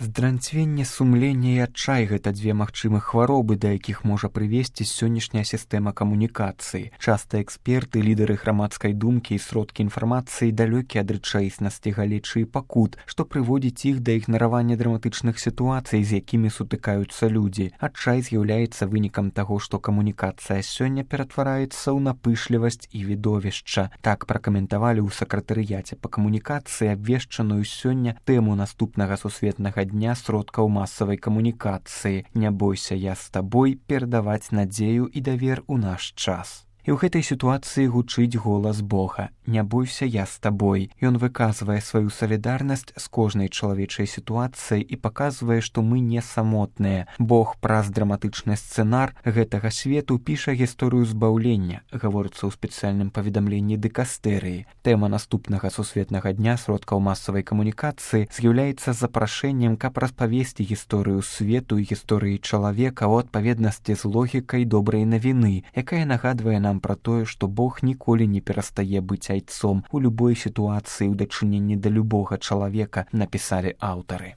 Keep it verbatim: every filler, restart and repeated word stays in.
Здранцвенне сумлення і адчай – гэта дзве магчымых хваробы, да якіх можа прывесці сённяшняя сістэма камунікацыі. Часта эксперты, лідары грамадскай думкі і сродкі інфармацыі далёкія ад рэчаіснасці, галечы і пакут, што прыводзіць іх да ігнаравання драматычных сітуацый, з якімі сутыкаюцца людзі. Адчай з'яўляецца вынікам таго, што камунікацыя сёння ператвараецца ў напышлівасць і відовішча. Так пракаментавалі ў сакратарыяце па камунікацыі абвешчаную сёння тэму наступнага сусветнага дня сродкаў масавай камунікацыі. Не бойся, я з табой, перадаваць надзею і давер у наш час. І ў гэтай сітуацыі гучыць голас Бога. Не бойся, я з табой. Ён выказвае сваю салідарнасць з кожнай чалавечай сітуацыяй і паказвае, што мы не самотныя. Бог праз драматычны сцэнар гэтага свету піша гісторыю збаўлення, гаворыцца ў спецыяльным паведамленні дыкастэрыі. Тэма наступнага сусветнага дня сродкаў масавай камунікацыі з'яўляецца запрашэннем, каб распавесці гісторыю свету і гісторыі чалавека ў адпаведнасці з логікай добрай навіны, якая нагадвае нам пра тое, што Бог ніколі не перастае быць айцом у любой сітуацыі ў дачыненні да любога чалавека, напісалі аўтары.